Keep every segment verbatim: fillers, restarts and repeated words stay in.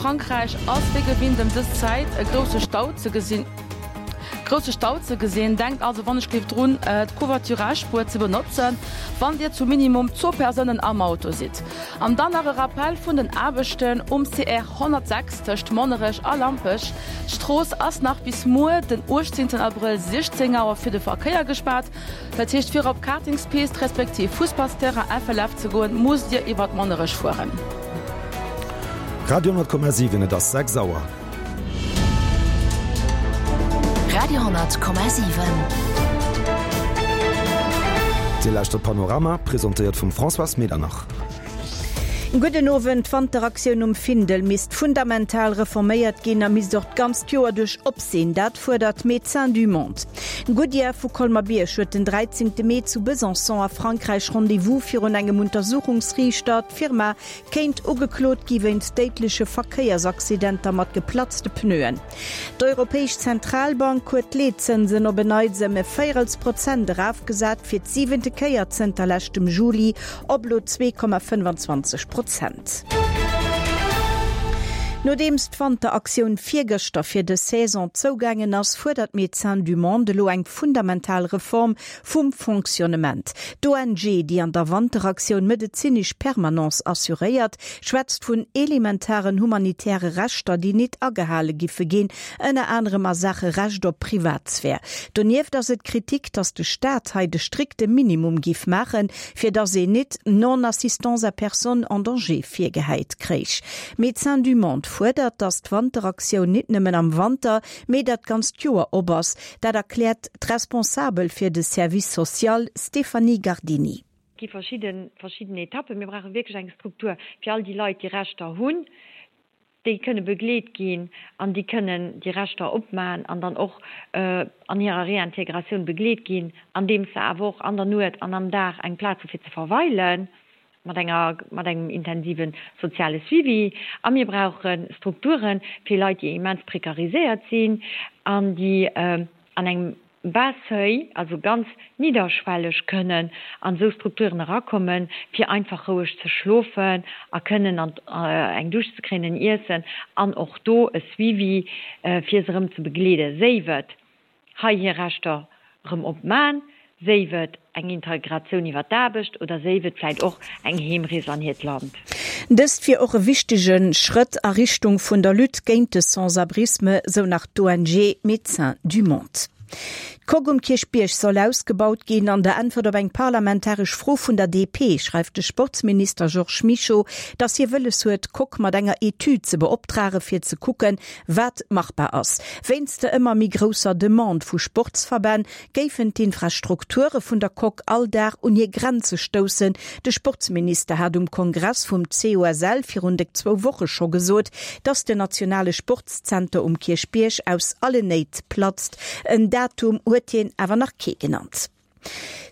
Frankräich ass wéi gewinnt ëm dës Zäit e grousse Stau ze gesinn. Grousse Stau ze gesinn. Denkt also wannechgelift drun, d'Covoiturage-Spuer ze benotzen, wann Dir zu minimum zwou Persounen am Auto sidd. An dann nach e Rappel vun den Aarbechten um C R honnertsechs tëscht Monnerech a Lampech. D'Strooss ass nach bis muer, den uechtzéngten Abrëll, siechzéng Auer fir de Verkéier gespaart. Dat heescht, fir op Kartingspist respektiv Fussballsterrain F L F ze goen, musst Dir iwwert Monnerech fueren. Radio honnert Komma siwen, Et ass sechs Auer. Radio honnert Komma siwen. Dir lauschtert Panorama, presentéiert vum Françoise Medernach. Gudden Owend. D'Wanteraktioun um Findel misst fundamental reforméiert ginn a misst och d'ganzt Joer duerch op sinn. Dat fuerdert Médecins du Monde. Goodyear vu Colmer-Bierg huet den dräizéngte Mee zu Besançon a Frankräich Rendez-vous virun engem Untersuchungsriichter. D'Firma kéint ugeklot gi wéinst déidleche Verkéiersaccidenter mat geplatzte Pneuen. D'Europäesch Zentralbank huet d'Leetzënsen op en Neits ëm e Véierelsprozent erafgesat, fir d'siwente Kéier zënter leschtem Juli op elo zwee Komma fënnfanzwanzeg Prozent. Nodeems d'Wanteraktioun virgëschter fir dës Saison zougaangen ass, fuerdert Médecins du Monde elo eng fundamental Reform vum Fonctionnement. D'O N G, déi an der Wanteraktioun medezinesch Permanence assuréiert, schwätzt vun elementaren humanitäre Rechter, déi nit agehale giffe ginn, ënner anerem a Sache Recht op Privatsphär. Donieft ass et Kritik, datt de Staat hei de strikte Minimum giff maachen, fir datt een nit Non-assistance à personne en danger virgehäit kréich. Médecins du Monde fuerdert, datt d'Wanteraktioun nit nëmmen am Wanter, mee dat ganzt Joer op ass. Dat erkläert d'Responsabel fir de Service social Stéphanie Gardini. Gi verschidden, verschidden Etappen. Mir brauche wierklech eng Struktur fir all déi Leit, déi Rechter hunn, déi kënne begleet ginn an déi kënnen déi Rechter opmachen an dann och, äh, an hirer Reintegratioun begleet ginn, andeem se awer och an der Nuet an am Dag eng Plaz hu fir ze verweilen, mat enger, mat engem intensiven soziale Suivi. A mir brauche Strukturen fir Leit, déi immens prekariséiert sinn an déi, äh, an engem Bas-Seuil, also ganz niederschwellig kënnen an esou Strukturen erakommen, fir einfach roueg ze schlofen a kënnen an, äh, eng Dusch ze kréien, en Iessen an och do e Suivi, äh, fir se erëm ze begleeden. Séif et hei hir Rechter erëm opmaen, séif et eng Integratioun iwwer d'Aarbecht oder séif et vläicht och eng Heemrees an hiert Land. Dëst wier och e wichtege Schrëtt a Richtung vun der Lutte géint de Sans-Abrisme, sou nach d'O N G Médecins du Monde. D'Coque um Kierchbierg soll ausgebaut ginn. An der Äntwert op eng parlamentaresch Fro vun der D P schreift de Sportsminister Georges Mischo, datt hie wëlles huet, d'Coque mat enger Etüd ze beoptrage fir ze kucken, wat machbar ass. Wéinst der ëmmer méi grousser Demande vu Sportsverbänn géifen d'Infrastrukture vun der Coque all Dag un hir Grenze stoussen. De Sportsminister hat um Kongress vum C O S L virun déck zwou Woche scho gesot, datt de nationale Sportszenter um Kierchbierg aus allen Néit platzt. En Datum huet hien awer nach kee genannt.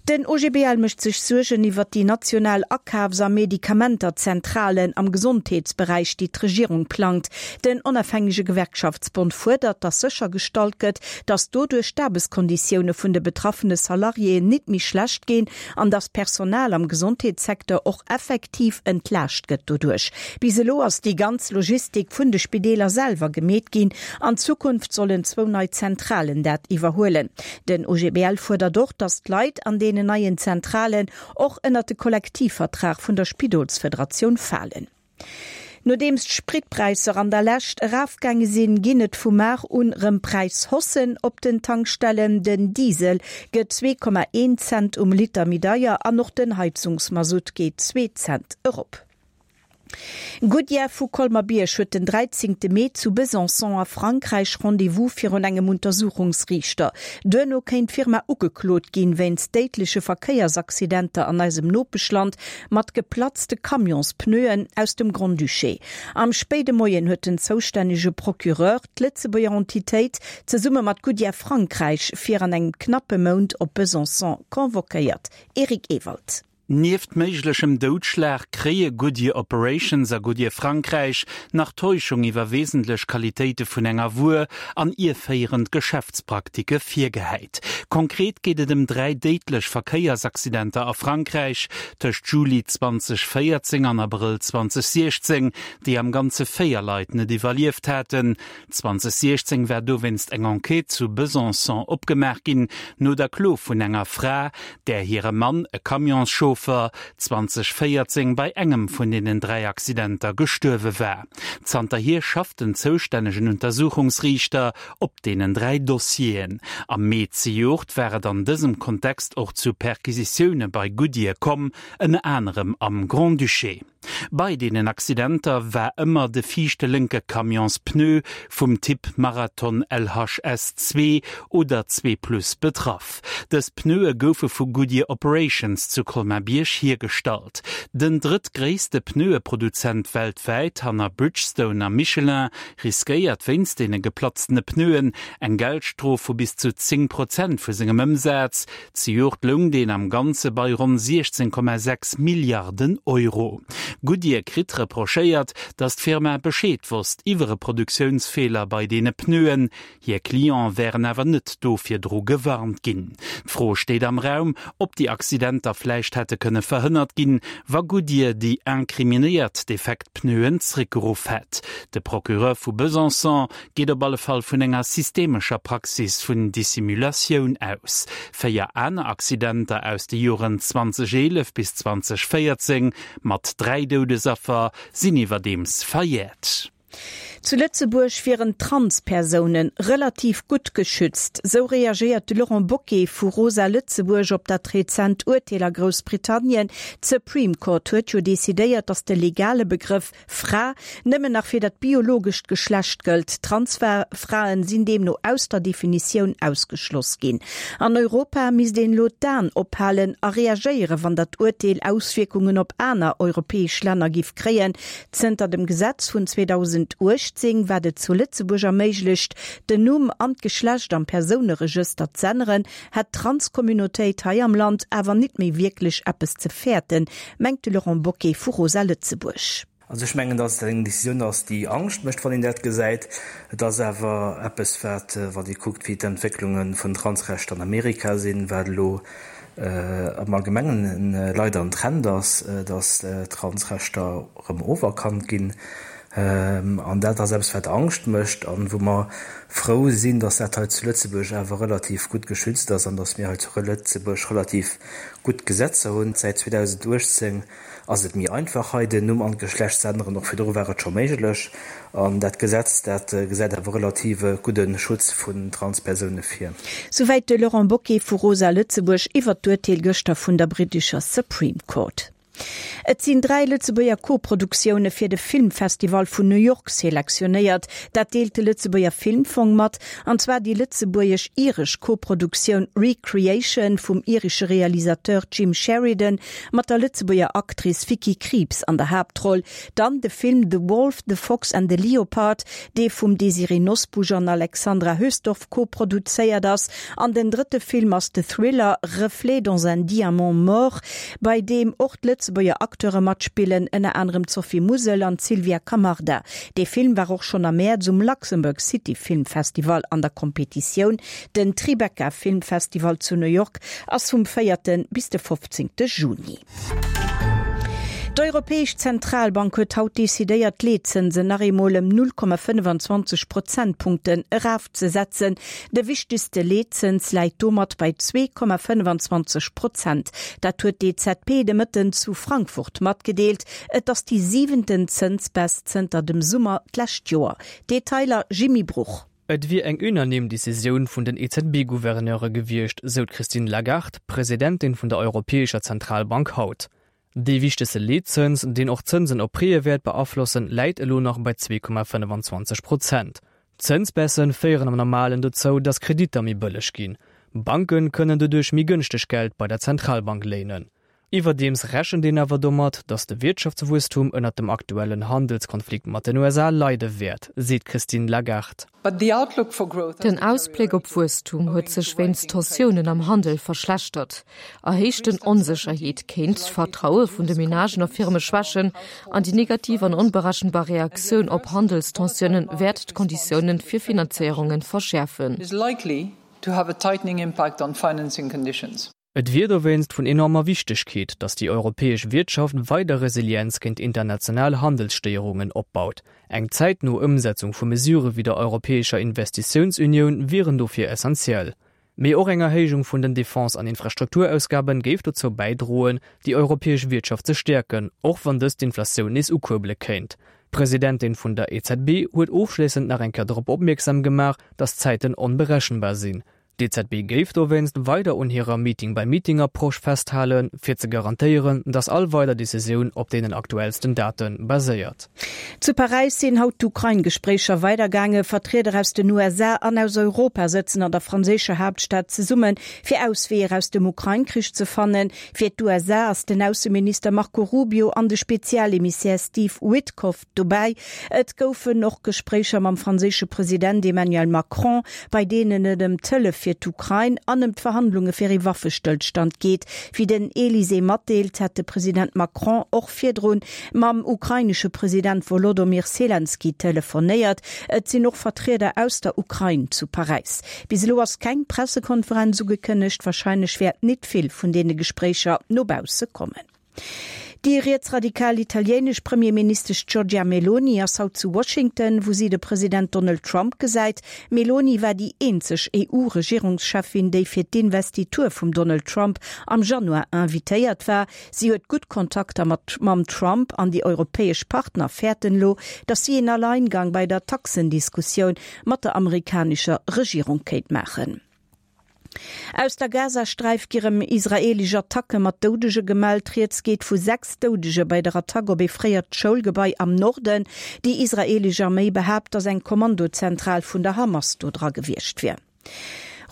Den O G B L mécht sech Suergen iwwer déi national Akafs- a Medikamenterzentralen am Gesondheetsberäich, déi d'Regierung plangt. Den onafhängege Gewerkschaftsbond fuerdert, datt séchergestallt gëtt, datt doduerch d'Aarbechtskonditioune vun de betraffene Salariéen nit méi schlecht ginn an datt Personal am Gesondheetssecteur och effektiv entlaascht gëtt doduerch. Bis elo ass déi ganz Logistik vun de Spideeler selwer gemeet ginn. An Zukunft sollen zwou nei Zentralen dat iwwerhuelen. Den O G B L fuerdert och, datt d'Leit an deenen neien Zentralen och ënner de Kollektivvertrag vun der Spidolsfederatioun falen. Nodeems d'Spritpräisser an der Lescht erafgaange sinn, ginn et vu mar un rëm Präishossen op den Tankstellen. Den Diesel gëtt zwee Komma een Cent um Liter méi deier an och den Heizungsmasutt geet zwee Cent erop. Goodyear vu Colmer-Bierg huet den dräizéngte Mee zu Besançon a Frankräich Rendez-vous virun engem Untersuchungsriichter. Duerno kéint d'Firma ugeklot ginn wéinst déidleche Verkéiersaccidenter an eisem Nopeschland mat geplatzte Camionspneuen aus dem Grand-Duché. Am spéide Moien huet den zoustännege Procureur d'Lëtzebuerger Entitéit zesumme mat Goodyear Frankräich fir an engem knappe Mount op Besançon convoquéiert. Eric Ewald. Nieft méiglechem Doudschlag kréie Goodyear Operations a Goodyear Frankräich nach Täuschung iwwer wesentlech Qualitéite vun enger Wuer an ierféierend Geschäftspraktike virgehäit. Konkret geet et ëm dräi déidlech Verkéiersaccidenter a Frankräich tëscht Juli zwanzeg véierzéng an Abrëll zwanzeg siechzéng, déi am Ganze véier Leit net iwwerlieft haten. zwanzeg siechzéng war dowéinst eng Enquête zu Besançon opgemaach ginn, no der Klo vun enger Fra, där hire Mann, e Camionschauffer, zwanzeg véierzéng bei engem vun deenen dräi Accidenter gestuerwe war. Zanterhier schafft den zoustännegen Untersuchungsriichter op deenen dräi Dossieren. Am Mee zejoert war et an dësem Kontext och zu Perquisitioune bei Goodyear komm, ënner anerem am Grand-Duché. Bei deenen Accidenter war ëmmer de viischte lénke Camionspneu vum Typ Marathon L H S zwee oder zwee plus betraff. Dës Pneue goufe vu Goodyear Operations zu Colmar-Bierg hiergestallt. Den drëttgréisste Pneueproduzent weltwäit, hanner Bridgestone a Michelin, riskéiert wéinst deene geplatztene Pneuen eng Geldstrof vu bis zu zéng Prozent vu sengem Ëmsaz. Zejoert loung deen am Ganze bei ronn siechzéng Komma sechs Milliarden Euro. Goodyear kritt reprochéiert, datt d'Firma Bescheed wosst iwwer e Produktiounsfeeler bei deene Pneuen, hir Cliente wären awer net do virdru gewarnt ginn. D'Fro steet am Raum, ob déi Accidenter vläicht hätte kënne verhënnert ginn, wa Goodyear déi incriminéiert defekt Pneuen zréckgeruff hätt. De Procureur vu Besançon geet op alle Fall vun enger systemescher Praxis vun Dissimulatioun aus. Véier aner Accidenter aus de Joren zwanzeg eelef bis zwanzeg véierzéng mat dräi Doudesaffer sinn iwwerdeems verjäert. Zu Lëtzebuerg wieren Trans-Persoune relativ gutt geschützt, sou reagéiert de Laurent Bocquet vu Rosa Lëtzebuerg op dat rezent Urteel a Groussbritannien. D'Supreme Court huet jo decidéiert, datt de legale Begrëff Fra nëmmen nach fir dat biologescht Geschlecht gëllt. Trans-Fraen sinn deemno aus der Definitioun ausgeschloss ginn. An Europa misst een elo d'Aen ophalen a reagéieren, wann dat Urteel Auswierkungen op aner europäesch Länner giff kréien. Zënter dem Gesetz vun zweedausendachtzéng, wat et zu Lëtzebuerg erméiglecht, den Numm an d'Geschlecht am Persouneregëster z'änneren, hätt d'Trans-Communautéit hei am Land awer nit méi wierklech eppes ze fäerten, mengt de Laurent Bocquet vu Rosa Lëtzebuerg. Also ech mengen, datt et eng Decisioun ass, déi Angscht mécht, wann een dat gesäit. Et ass awer eppes, wat, wann ee kuckt, wéi d'Entwécklunge vun Transrechter an Amerika sinn, wat elo am Allgemengen leider en Trend ass, datt Transrechter erëm oferkannt ginn. An dat ass eppes, wat Angscht mécht an wou mer frou sinn, datt dat hei zu Lëtzebuerg awer relativ gutt geschützt ass an datt mir hei zu Lëtzebuerg relativ gutt Gesetzer hunn. Säit zweedausendachtzéng ass et méi einfach hei den Numm an d'Geschlecht ze änneren, och virdru war et scho méiglech. An dat Gesetz, dat gesäit awer relativ e gudde Schutz vun Transpersoune vir. Souwäit de Laurent Bocquet vu Rosa Lëtzebuerg iwwert d'Urteel gëschter vun der brittescher Supreme Court. Et sinn dräi Lëtzebuerger Koproduktioune fir de Filmfestival vun New York selektionéiert. Dat deelt de Lëtzebuerger Filmfong mat. An zwar déi lëtzebuergesch-iresch Koproduktioun Re-Creation vum iresche Realisateur Jim Sheridan mat der Lëtzebuerger Actrice Vicky Krieps an der Haaptroll. Dann de Film The Wolf, the Fox and the Leopard, dee vum Désirée Nosbusch an Alexandra Hösdorf koproduzéiert ass. An den drëtte Film ass de Thriller Reflets dans un diamant mort, bei deem och d'Lëtzebuerger Acteure matspillen, ënner anerem d'Sophie Musel an d'Sylvia Camarda. Dee Film war och schonn am Mäerz um Luxembourg City Film Festival an der Kompetitioun. Den Tribeca Film Festival zu New York ass vum véierte bis de fofzéngte Juni. D'Europäesch Zentralbank huet haut decidéiert, d'Leetzënsen nach eemol ëm null Komma fënnefenzwanzeg Prozentpunkten erafzesetzen. De wichtegste Leetzëns läit domat bei zwee Komma fënnefenzwanzeg Prozent. Dat huet d'E Z B de Mëtten zu Frankfurt matgedeelt. Et ass déi siwenten Zënsbaisse zënter dem Summer d'lescht Joer. Detailer Jimmy Bruch. Et wier eng unanime Decisioun vun den E Z B-Gouverneure gewiescht, sou d'Christine Lagarde, Presidentin vun der Europäescher Zentralbank haut. Dee wichtegste Leetzëns, deen och d'Zënsen op Prêtë wäert beaflossen, läit elo nach bei zwee Komma fënnefenzwanzeg Prozent. Zënsbaissë féieren am Normalen dozou, datt Kreditter méi bëlleg ginn. Banke kënnen doduerch méi gënschteg Geld bei der Zentralbank léinen. Iwwerdeems rechent een awer domat, datt de Wirtschaftswuesstum ënnert dem aktuellen Handelskonflikt mat den U S A leide wäert, seet d'Christine Lagarde. Den Ausbléck op Wuesstum huet sech wéinst Tensiounen am Handel verschlechtert. Erhéichten Onsécherheet kéint d'Vertraue vun de Menagen a Firme schwächen an déi negativ an onberechenbar Reaktioun op Handelstensiounen wäert d'Konditioune fir Finanzéierunge verschäerfen. Et wier dowéinst vun enormer Wichtegkeet, datt déi europäesch Wiertschaft weider Resilienz géint international Handelsstéierungen opbaut. Eng zäitno Ëmsetzung vu Mesurë wéi der Europäescher Investitiounsunioun wieren dofir essentiell. Mee och eng Erhéijung vun den Defense an Infrastrukturausgabe géif dozou bäidroen, déi europäesch Wiertschaft ze stäerken, och wann dëst d'Inflatioun nees ukuerbele kéint. D'Presidentin vun der E Z B huet ofschléissend nach eng Kéier drop opmierksam gemaach, datt d'Zäiten onberechenbar sinn. D'E Z B géif dowéinst weider un hirer Meeting-by-Meeting-Approche festhalen, fir ze garantéieren, datt all weider Decisioun op deenen aktuellsten Date baséiert. Zu Paräis sinn haut d'Ukrain-Gespréicher weidergaangen. Vertrieder aus den U S A an aus Europa sëtzen an der franséischer Haaptstad zesummen, fir Ausweeër aus dem Ukrain-Krich ze fannen. Fir d'U S A ass den Ausseminister Marco Rubio an de Spezialemissär Steve Witkoff dobäi. Et goufen och Gespréicher mam franséische President Emmanuel Macron, bei deenen et ëm d'Hëllef fir d'Ukrain an ëm d'Verhandlunge fir ee Waffestëllstand geet. Wéi den Élysée matdeelt, hat de President Macron och virdrun mam ukrainesche President Volodymyr Zelensky telefonéiert. Et sinn och Vertrieder aus der Ukrain zu Paräis. Bis elo ass keng Pressekonferenz ugekënnegt, wahrscheinlech wäert net vill vun deene Gespréicher no bausse kommen. Déi rietsradikal italienesch Premierministesch Giorgia Meloni ass haut zu Washington, wou si de President Donald Trump gesäit. Meloni war déi eenzeg E U-Regierungschefin, déi fir d'Investitur vum Donald Trump am Januar invitéiert war. Si huet gutt Kontakter mat mam Trump an déi europäesch Partner fäerten elo, datt si een Alleingang bei der Taxendiskussioun mat der amerikanescher Regierung kéint maachen. Aus der Gazasträif gi rëm israelesch Attacke mat Doudege gemellt. Rieds geet vu sechs Doudege bei der Attack op ee fréiert Schoulgebai am Norden. Déi israelesch Arméi behaapt, datt eng Kommandozentral vun der Hamas do dra gewiescht wier.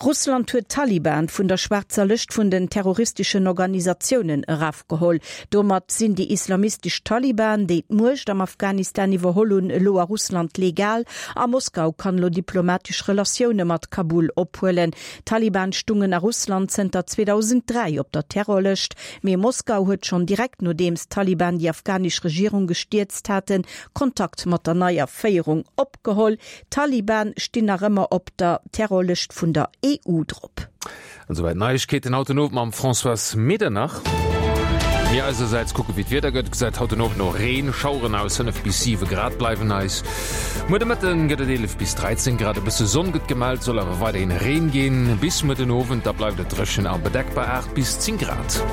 Russland huet d'Taliban vun der schwaarzer Lëscht vun den terroristeschen Organisatiounen erafgeholl. Domat sinn déi islamistesch Taliban, déi d'Muecht am Afghanistan iwwerholl hunn, elo a Russland legal. A Moskau kann elo diplomatesch Relatioune mat Kabul ophuelen. D'Taliban stungen a Russland zënter zweetausenddräi op der Terrorlëscht. Mee Moskau huet schonn direkt nodeems d'Taliban déi afghanesch Regierung gestierzt haten, Kontakt mat der neier Féierung opgeholl. D'Taliban stinn nach ëmmer op der Terrorlëscht vun der E U drop. An soweit Neuigkeiten haut den Owend mam Françoise Medernach. Mir eiserseits kucke wéi d'Wieder gëtt. Gesäit haut den Owend no Reen, Schaueren aus fënnef bis siwe Grad bleiwen eis. Muer de Mëtten gëtt et eelef bis dräizéng Grad, e bësse Sonn gëtt gemellt, soll awer weiderhin Reen ginn. Bis muer den Owend, da bleift et dréchen a bedeckt bei aacht bis zéng Grad.